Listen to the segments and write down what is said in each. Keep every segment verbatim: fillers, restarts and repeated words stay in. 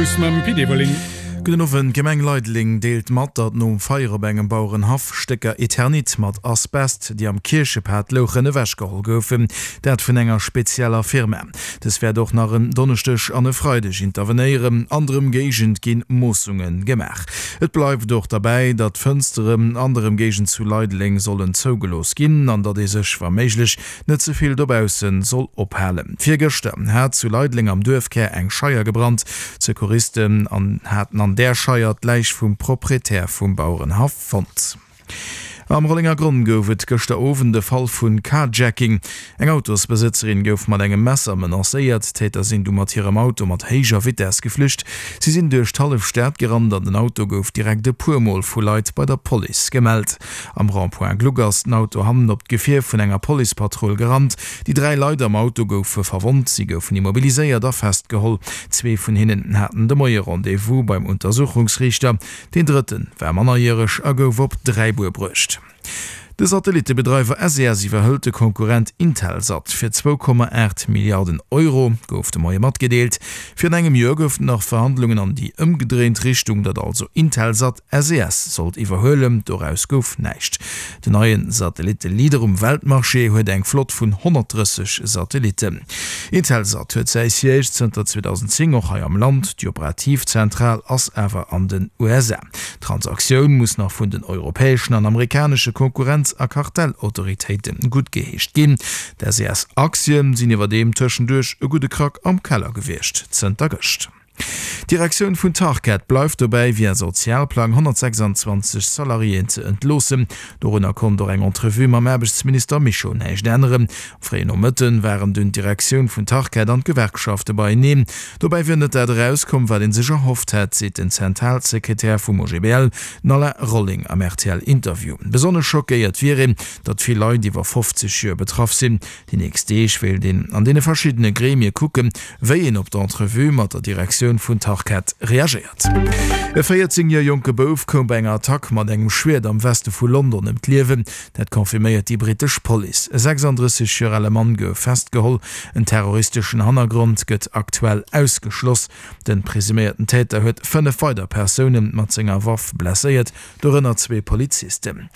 News mam Pit Everling. Gudden Owend, D'Gemeng Leideleng deelt mat, datt nom Feier op engem Bauerenhaff Stécker Eternit mat Asbest, déi am Kierchepad louchen, ewechgeholl goufen. Dat vun enger spezieller Firma. Dës wäert och nach en Donneschdeg an e Freideg intervenéieren. An der Ëmgéigend gi Moossunge gemaach. Et bleift och derbäi, datt d'Fënsteren an der Ëmgéigend zu Leideleng sollen zougelooss ginn an datt ee sech wa méiglech net ze vill dobausse soll ophalen. Virgëschter hat zu Leideleng am Duerfkär eng Scheier gebrannt. D'Secouristen haten an där Scheier d'Läich vum Proprietär vum Bauerenhaff fonnt. Am Rollengergronn gouf et gëschter Owend e Fall vu Carjacking. Eng Autosbesëtzerin gouf mat engem Messer menacéiert. D'Täter sinn du mat hirem Auto mat héijer Vitess geflücht. Si sinn duerch d'hallef Stad gerannt an den Auto gouf direkt e puer Mol vu Leit bei der Police gemellt. Am Rond-point Gluck ass den Auto hannen op d'Gefier vun enger Policepatrull gerannt. Déi dräi Leit am Auto goufe verwonnt, si goufen immobiliséiert a festgeholl. Zwee vun hinnen haten de Moie Rendez-vous beim Untersuchungsriichter. Deen drëtte war mannerjäreg a gouf op Dräibuer bruecht. De Satellittebedreiwer S E S iwwerhëlt de Konkurrent Intelsat fir zwou Komma aacht Milliarden Euro, gouf de Moie matgedeelt. Virun engem Joer goufen nach Verhandlungen an déi ëmgedréint Richtung, datt also Intelsat S E S sollt iwwerhuelen. Doraus gouf näischt. Den neie Satellitte-Leader um Weltmarché huet eng Flott vun honnertdrësseg Satellitten. Intelsat huet säi Siège zënter zweedausendzéng och hei am Land, déi operativ Zentral ass awer an den U S A. D'Transaktioun muss nach vun den europäeschen an amerikanesche Konkurrenz a Kartellautoritéite guttgeheescht ginn. D'S E S-Aktie sinn iwwerdeem tëschenduerch e gudde Krack am Keller gewiescht zënter gëscht. D'Direktioun vun Tarkett bleift dobäi, via Sozialplang honnertsechsanzwanzeg Salariéen ze entloossen. Dorunner konnt och eng Entrevue mam Aarbechtsminister Mischo näischt änneren. Am fréien Nomëtte waren dunn d'Direktioun vun Tarkett an d'Gewerkschafte beieneen. Dobäi wier net dat erauskomm, wat ee sech erhofft hätt, seet den Zentralsekretär vum O G B L, den Alain Rolling am R T L-Interview. Besonnesch schockéiert wier een, datt vill Leit iwwer fofzeg Joer betraff sinn. Déi nächst Deeg wéilt een an deene verschiddene Gremie kucken, wéi een op d'Entrevue mat der Direktioun vun Tarkett reagéiert. E véierzéng Joer jonke Bouf koum bei enger Attack mat engem Schwiert am Weste vu London ëm d'Liewen. Dat confirméiert déi brittesch Police. E sechsanddrësseg Joer ale Mann gouf festgeholl. En terroristeschen Hannergrond gëtt aktuell ausgeschloss. De presuméierten Täter huet fënnef weider Persoune mat senger Waff blesséiert, dorënner zwee Polizisten.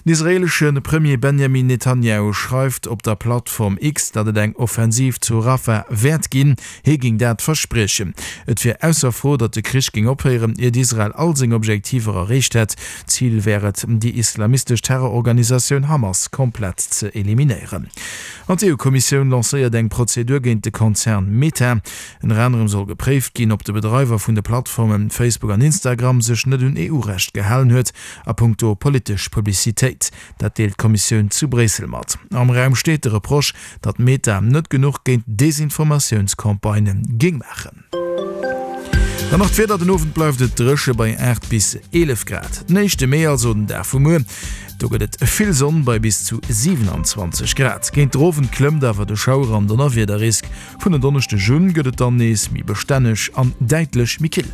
Den israeelesche Premier Benjamin Netanjahu schreift op der Plattform X, datt et eng Offensiv zu Rafah wäert ginn. Hie géing dat verspriechen. Et wier ausser Fro, datt de Krich géing ophéieren, iert Israel all seng Objektiver erreecht hätt. Zil wär et, déi islamistesch Terrororganisatioun Hamas komplett ze eliminéieren. An d'E U-Kommissioun lancéiert eng Prozedur géint de Konzern Meta. Ënner anerem soll gepréift ginn, ob de Bedreiwer vun de Plattforme Facebook an Instagram sech net un E U-Recht gehalen huet a punkto politesch Publicitéit. Dat deelt d'Kommissioun zu Bréissel mat. Am Raum steet de Reproche, datt Meta net genuch géint Desinformatiounscampagnë géing maachen. Dann nach d'Wieder, Den Owend bleift et dréche bei aacht bis eelef Grad. Den éischte Mee, also den Dag vu muer, do gëtt et vill Sonn bei bis zu siwenanzwanzeg Grad. Géint den Owend klëmmt awer de Schauer an Donnerwiederrisk. Vun en Donneschdeg un gëtt et dann nees méi bestänneg an däitlech méi kill.